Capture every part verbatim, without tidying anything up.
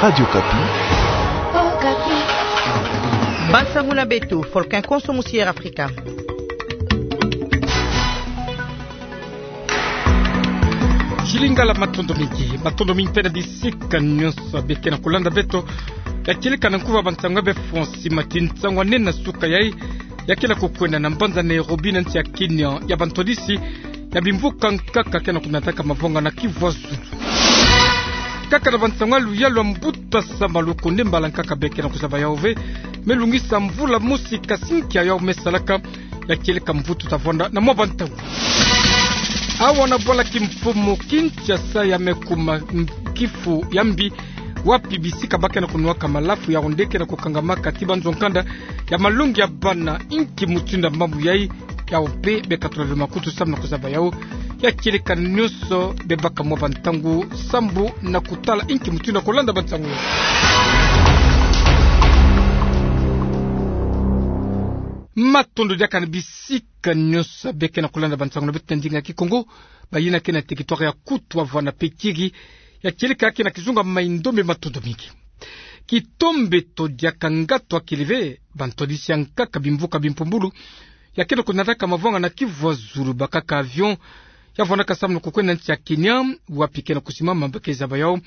Radio Okapi. Bansangu na beto, Folkin Konso musi Air Afrika. Jilingala, matondo mingi, matondo mingi mpe na bisika nyonso beke na kolanda beto. Ya kieleka na nkuba bansangu ya befo, nsi mati nsangu anene na suka yayi, ya ke na kokwenda na mbanza Nairobi na nsi ya Kenya, ya bantwadisi ya bimvuka nkaka ke na konataka mavwanga na Kivu Zulu. Kaka na bansangu ya luyalu ya mbuta Sama Lukonde, mbala nkaka beke na kuzaba yawu ve, me lungisa mvula mosi kasinkia yawu me salaka. Ya kieleka mvutu ta vwanda na mwa bantangu. Awa na bwala kimfumu Kinshasa ya me kuma nkifu ya mbi, wapi bisika ba ke na kunwaka malafu ya onde ke na kokangamaka ti banzo nkanda ya malongi ya bana. Inki mutindu ya mambu yayi? Yawu mpe beka tula ve makutu samu na kuzaba yawu. Ya kieleka nyonso, bebaka mwa bantangu sambu na kutala inki mutindu ya kolanda bansangu. Matondo diaka na bisika nyonso beke na kolanda bansangu na beto na ndinga ya Kikongo, bayina ke na territoire ya Kutu, Avwa na Pekiri. Ya kieleka ke na kizunga Mai-Ndombe, matondo mingi. Kitombeto diaka, ngatu akili ve, bantwadisi ya nkaka bimvuka bimpumbulu ya ke na konataka mavwanga na Kivu Zulu, bakaka avion ya vwandaka samu na kokwenda nsi ya Kenya, wapi ke na kusimama, ba ke zaba yawu.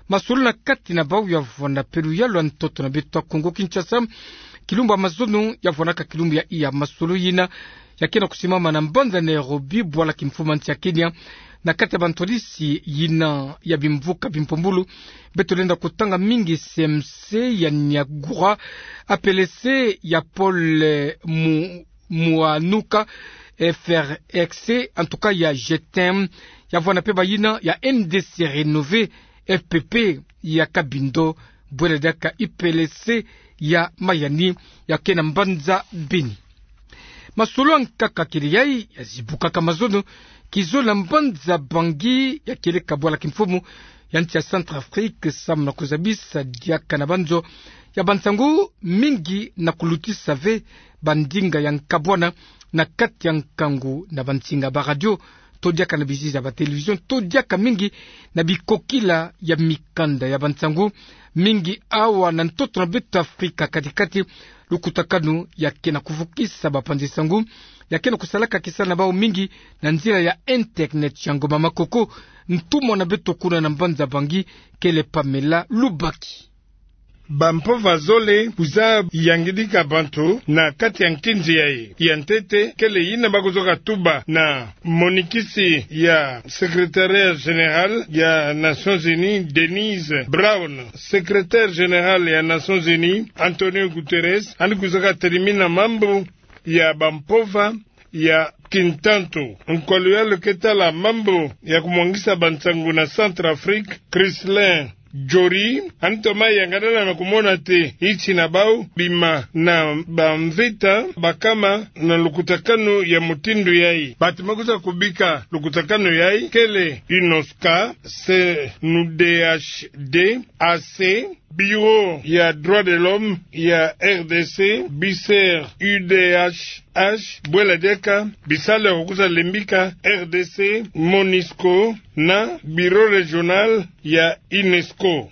Masololo na kati na bawu ya vwanda mpe luyalu ya ntoto na beto ya Kongo Kinshasa. Kilumbu ya mazono ya vwandaka kilumbu ya iya, masololo yina ya ke na kusimama na mbanza Nairobi, bwala kimfumu ya nsi ya Kenya, na kati ya bantwadisi yina ya bimvuka bimpumbulu. Beto lenda kotanga mingi C M C ya Nyagura, A P L C ya Paul, eh, Mu-, Muanuka, F R X, en tout cas ya G T M, ya vwanda mpe bayina ya N D C Renové, F P P ya Kabindo, bwela diaka I P L C ya Mayani, ya ke na mbanza Beni. Masololo ya nkaka kele yayi ya zibukaka mazono kizololo na mbanza Bangui, ya kieleka bwala kimfumu ya nsi ya Centrafrique, samu na kuzabisa diaka na banzo ya bansangu mingi na kulutisa ve bandinga ya nkabwana na kati ya nkangu na bansinga ba radio, to diaka na bizizi ya ba télévision, to diaka mingi na bikokila ya mikanda ya bansangu mingi awa na ntoto na beto Afrika kati-kati. Lukutakanu ya ke na kuvukisa bapanzi sangu ya ke na kusalaka kisala na bawu mingi na nzila ya internet. Yango mama Koko, ntumwa na beto kuna na mbanza Bangui kele Pamela Lubaki. Bampova zole kwiza yangidika bantu na kati ya nkinzi yayi. Ya ntete kele yina ba kwizoka tuba na monikisi ya Secrétariat Général ya Nations Unies, Denise Brown. Secrétaire Général ya Nations Unies, Antonio Guterres, yandi kwizaka telimina mambu ya bampova ya kintantu. Nkwa luyalu ke tala mambu ya kumwangisa bansangu na Centrafrique, Chrislin Jory, yandi toma yangalala na kumona te nsi na bawu bima na bamvita bakama na lukutakanu ya mutindu yayi. Bantu ba kwiza kubika lukutakanu yayi kele UNOSCA, C N D H D, A C, Bureau ya Droits de l'Homme ya R D C, BICER, U D H H, bwela diaka bisalu ya kwiza lembika R D C, MONUSCO na Bureau Régional ya UNESCO.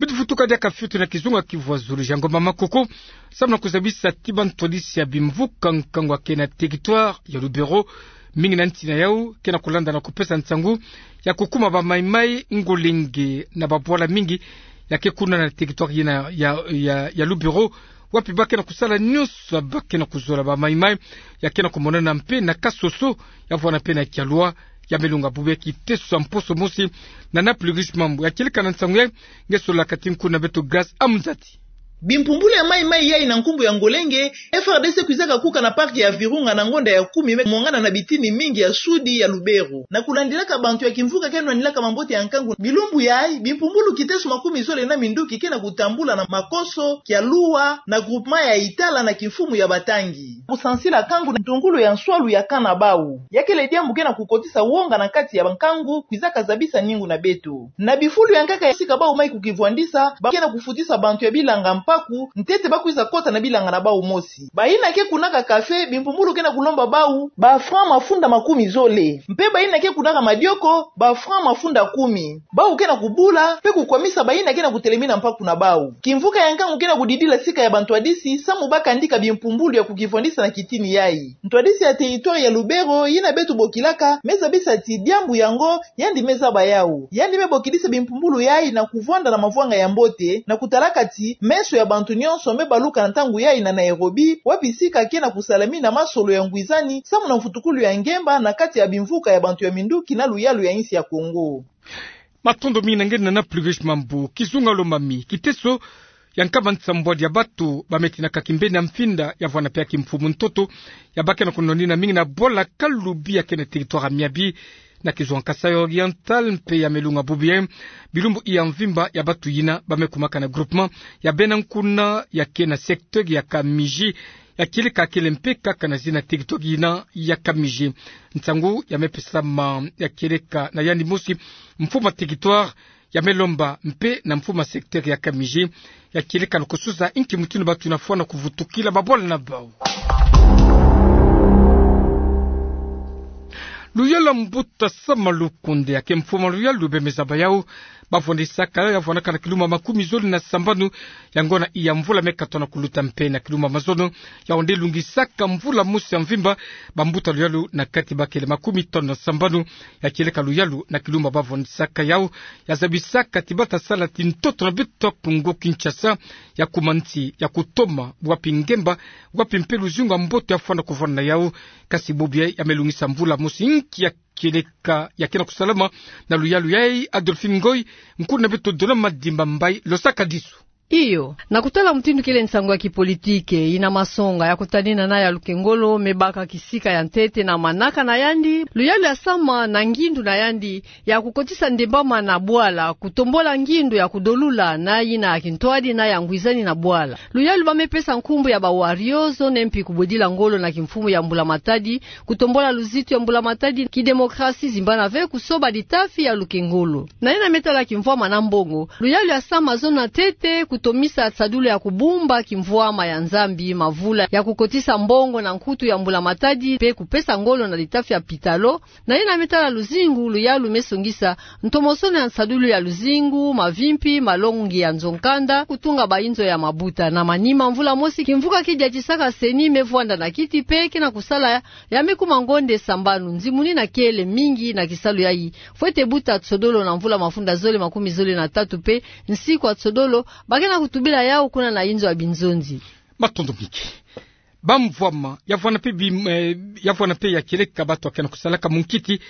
Beto futuka diaka fioti na kizunga Kivu ya Zulu, Jean Ngomba Makoko, samu na kuzabisa ti bantwadisi ya bimvuka nkangu ya ke na territoire ya Lubero, mingi na nsi na yawu ke na kulanda na kupesa nsangu ya kukuma ba maimai ngolenge na babwala mingi ya ke kuna na territoire yina ya, ya, ya Lubero, wapi ba ke na kusala nyonso ba ke na kuzola ba maimai ya ke na kumonana mpe na Kasoso, ya vwanda mpe na Kialua, ya me longa bubu ya kiteso ya mposo mosi. Na Napoli Rich Mambu ya kieleka na nsangu yayi, nge solola kati nku na beto Grace Amuzati. Bimpumbulu ya maimai yayi na nkumbu ya ngolenge, F R D C kwizaka kuka na parc ya Virunga na ngonda ya kumi, me mwangana na bitini mingi ya sudi ya Lubero. Na kulandilaka bantu ya kimvuka ke nwanilaka mambote ya nkangu, bilumbu yayi bimpumbulu kiteso makumi zole na minduki ke na kutambula na Makoso, Kialua, na groupement ya Itala na kimfumu ya Batangi. Kusansila nkangu na ntungulu ya nswalu ya camp na bawu, ya kele diambu ke na kukotisa wonga na kati ya bankangu, kwizaka zabisa ningu na beto. Na bifulu ya nkaka ya sika bawu mai kukivwandisa, ba ke na kufutisa bantu ya bilanga mpaku, ntete ba kwiza kota na bilanga na bau mosi. Bayina ke kunaka café, bimpumbulu ke na kulomba bau ba francs mafunda makumi zole. Mpe bayina ke kunaka madioko, ba francs mafunda kumi. Bau ke na kubula, mpe kukwamisa bayina ke na kutelemina mpaku na bau. Kimvuka ya nkangu ke na kudidila sika ya bantwadisi, samu ba kandika bimpumbulu ya kukivwandisa na kitini yai. Ntwadisi ya territoire ya Lubero, yina beto bokilaka, me zabisa ti diambu yango, yandi me zaba yau. Yandi me bokidisa bimpumbulu yai na kuvwanda na mavwanga ya mbote, na kutalaka ti meso ya bantu nyonso me baluka na ntangu yai na Nairobi, wapi sika ke na kusalamina masolo ya ngwizani, samu na mfutukulu ya ngemba na kati ya bimvuka ya bantu ya minduki na luyalu ya insi ya Kongo. Matondo mingi na nge, Nana Plurish Mambu. Kizunga Lomami, kiteso ya nkama nsambwadi ya batu ba me tinaka kimbeni ya mfinda ya vwana mpe ya kimfumu ntoto, ya ba ke na kunwanina mingi na bwala Kalubi ya ke na territoire ya Miabi, na kizunga Kasaï Oriental, mpe ya me lunga bubu yayi bilumbu ya mvimba ya batu yina ba me kumaka na groupement ya Bena Nkuna ya ke na secteur ya Kamiji, ya kieleka kele mpe kaka na zina territoire yina ya Kamiji. Nsangu ya me pesama ya kieleka na yandi mosi mfumu ya territoire, ya me lomba mpe na mfumu ya secteur ya Kamiji, ya kieleka na kusuza inki mutindu batu yina fwana kuvutukila babwala na bau. Luyalu ya mbuta Sama Lukonde, ya ke mfumu ya luyalu, be me zaba yau ba vwandisaka yau ya vwanaka na kilumbu makumi zole na sambanu ya ngona iya mvula me katono kuluta, mpe na kilumbu mazono, yau nde lungisaka mvula mosi ya mvimba bambuta luyalu na kati bakele makumi tanu na sambanu. Ya kieleka luyalu na kilumbu ba vwandisaka yau, ya zabisaka ti bata sala ti ntoto na beto Kongo Kinshasa, ya kuma nsi ya kutoma wapi ngemba, wapi mpe luzingu ya mbote ya fwana kuvwana na yau. Kasi bubu yayi ya me lungisa mvula mosi inki ya kieleka ya ke na kusalama na luyalu yayi? Adolphine Ngoy, nkuna beto Dona Madimba Mbayi, losakadisu. Iyo, na kutala mutindu kele nsangu ya kipolitike, yina masonga ya kutanina na ya Lukengolo me baka kisika ya ntete na manaka na yandi, luyalu ya sama na ngindu na yandi ya kukotisa ndembama na bwala, kutombola ngindu ya kudolula na yina ya kintwadi na ya ngwizani na bwala. Luyalu ba me pesa nkumbu ya ba warriors, zone mpi kubodila ngolo na kimfumu ya Mbula Matadi, kutombola luzitu ya Mbula Matadi, kidemokrasi, zimbana ve kusoba ditafi ya Lukengolo. Na yina me tala kimvwama na mbongo, luyalu ya sama zona ntete kutomisa nsadulu ya kubumba kimvwama ya Nzambi, mavula ya kukotisa mbongo na nkutu ya Mbula Matadi, mpe kupesa ngolo na ditafi ya pitalo. Na yina me tala luzingu, luyalu me songisa ntomosono ya nsadulu ya luzingu, mavimpi, malongi ya nzo-nkanda, kutunga bainzo ya mabuta. Na manima mvula mosi, kimvuka ki diatisaka CENI me vwanda na kiti mpe ke na kusala ya me kuma ngonde sambanu. Nzimuni na kele mingi na kisalu yayi. Fwete buta nsodolo na mvula mafunda zole makumi zole na tatu mpe nsiku ya nsodolo ba ke na kutubila yau kuna na inzo ya binzonzi. Matondo mingi. Bamvwama ya vwana mpe bi-, eh, ya vwana mpe ya kieleka batu ya ke na kusalaka munkiti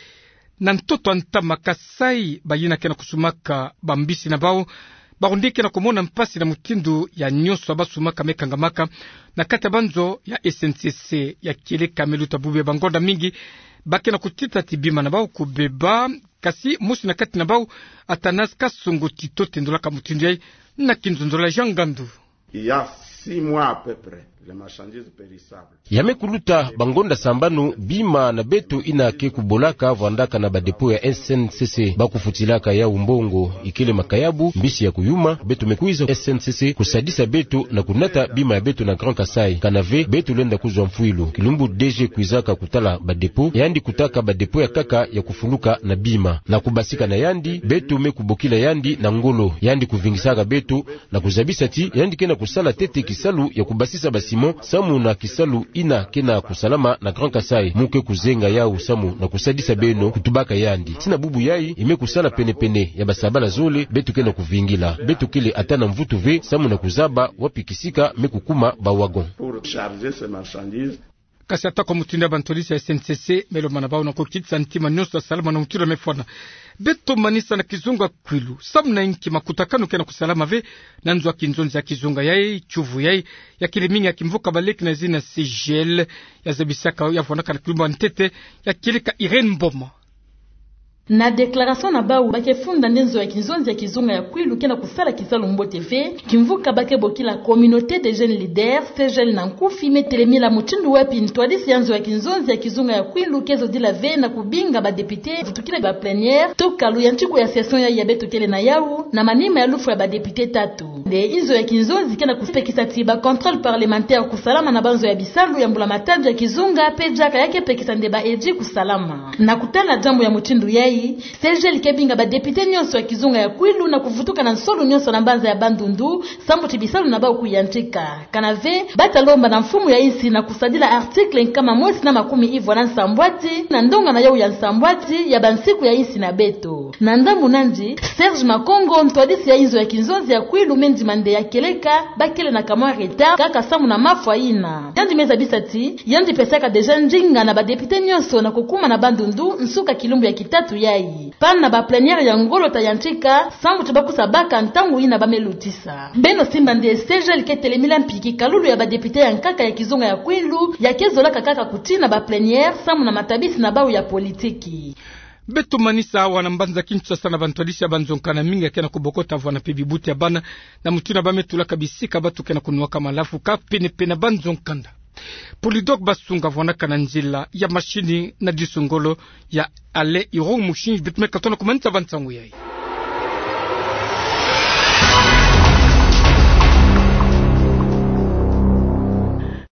na ntoto ya ntama Kasaï, bayina ke na kusumaka bambisi na bau, bawu nde ke na kumona mpasi na mutindu ya nyonso ya ba sumaka me kangamaka na kati ya banzo ya SNCC. Ya kieleka me luta bubu yayi, bangonda mingi ba ke na kutita ti bima na bau kubeba. Kasi mosi na kati na bau, Athanase Kasongo Tito, tendolaka mutindu yayi na kinzonzolo ya Jean Ngandu. Il y a six mois à peu près, les marchandises périssables. Ya me kuluta bangonda sambanu, bima na beto yina ke kubolaka vwandaka na ba dépôt ya SNCC ba kufutilaka yau mbongo, ikele makayabu, mbisi ya kuyuma. Beto me kwiza SNCC kusadisa beto na kunata bima ya beto na Grand Kasaï. Kana ve beto lenda kuzwa mfwilu. Kilumbu DG kwizaka kutala ba dépôt, yandi kutaka ba dépôt ya nkaka ya kufuluka na bima. Na kubasika na yandi, beto me kubokila yandi na ngolo. Yandi kuvingisaka beto na kuzabisa ti yandi ke na kusala ntete kisalu ya kubasisa ba ciment samu na kisalu yina ke na kusalama na Grand Kasaï. Mu ke kuzenga yau samu na kusadisa beno, kutubaka yandi. Tii na bubu yayi, i me kusala pene-pene ya basabala zole beto ke na kuvingila. Beto kele ata na mvutu ve samu na kuzaba wapi kisika me kukuma ba wagon. Pour charger ces marchandises. Kasi ata kwa mutindu ya bantwadisi ya SNCC me lomba na bau na kukitisa ntima nyonso ya salama na mutindu ya me fwana. Beto manisa na kizunga kwilu. Samu na inki makutakanu ke na kusalama ve na nzo ya kinzonzi ya kizunga yayi, tiyuvu yayi, ya kele mingi ya kimvuka baleki na zina CGL, ya zabisaka, ya vwandaka na kilumbu ya ntete, ya kieleka Irène Mboma. Na déclaration na bau, ba ke funda nde nzo ya kinzonzi ya kizunga ya Kwilu ke na kusala kisalu mbote ve, kimvuka ba ke bokila Communauté des Jeunes Leaders, C J L na nkufi, me telemila mutindu wapi ntwadisi ya nzo ya kinzonzi ya kizunga ya Kwilu ke zodila ve na kubinga ba députés vutukila ba plénière, toka luyantiku ya session yayi ya beto kele na yau, na manima ya lufwa ya ba députés tatu. Nde inzo ya kinzonzi ke na kupekisa ti ba contrôle parlementaire kusalama na banzo ya bisalu ya mbula matadi ya kizunga, pe diaka ya ke pekisa nde ba edits kusalama. Na kutala diambu ya mutindu yayi, C J L ke binga ba députés nyonso ya kizunga ya Kwilu na kuvutuka na nsolu nyonso na mbanza ya Bandundu, sambu ti bisalu na bau kuyantika. Kana ve, ba ta lomba na mfumu ya insi na kusadila article nkama mosi na makumi ivwa na nsambwadi, na ndonga na yau ya nsambwadi ya bansiku ya insi na beto. Na ndambu nandi, Serge Makongo, ntwadisi ya inzo ya kinzonzi ya Kwilu, me ndima nde ya kieleka, ba kele na kamwa retard kaka samu na mafwa yina. Yandi me zabisa ti yandi pesaka déjà ndinga na ba députés nyonso na kukuma na Bandundu nsuka kilumbu ya kitatu yayi. Pana ba plénière ya ngolo ta yantika, sambu ti ba kusa baka ntangu yina ba me lutisa. Beno simba nde C J L ke telemila mpi kikalulu ya ba députés ya nkaka ya kizunga ya Kwilu, ya ke zolaka kaka kutina ba plénière samu na matabisi na bau ya politiki. Beto manisa awa na mbanza Kinshasa na bantwadisi ya banzo nkanda mingi ya ke na kubokota vwanda mpe bibuti ya bana, na mutindu ba me tulaka bisika bato ke na kunwaka malafu ka pene-pene na banzo nkanda. Polydor Basunga vwandaka na nzila ya mashini na disu ngolo ya Alain Irung Mushini, beto me katono kumanisa va nsangu yayi.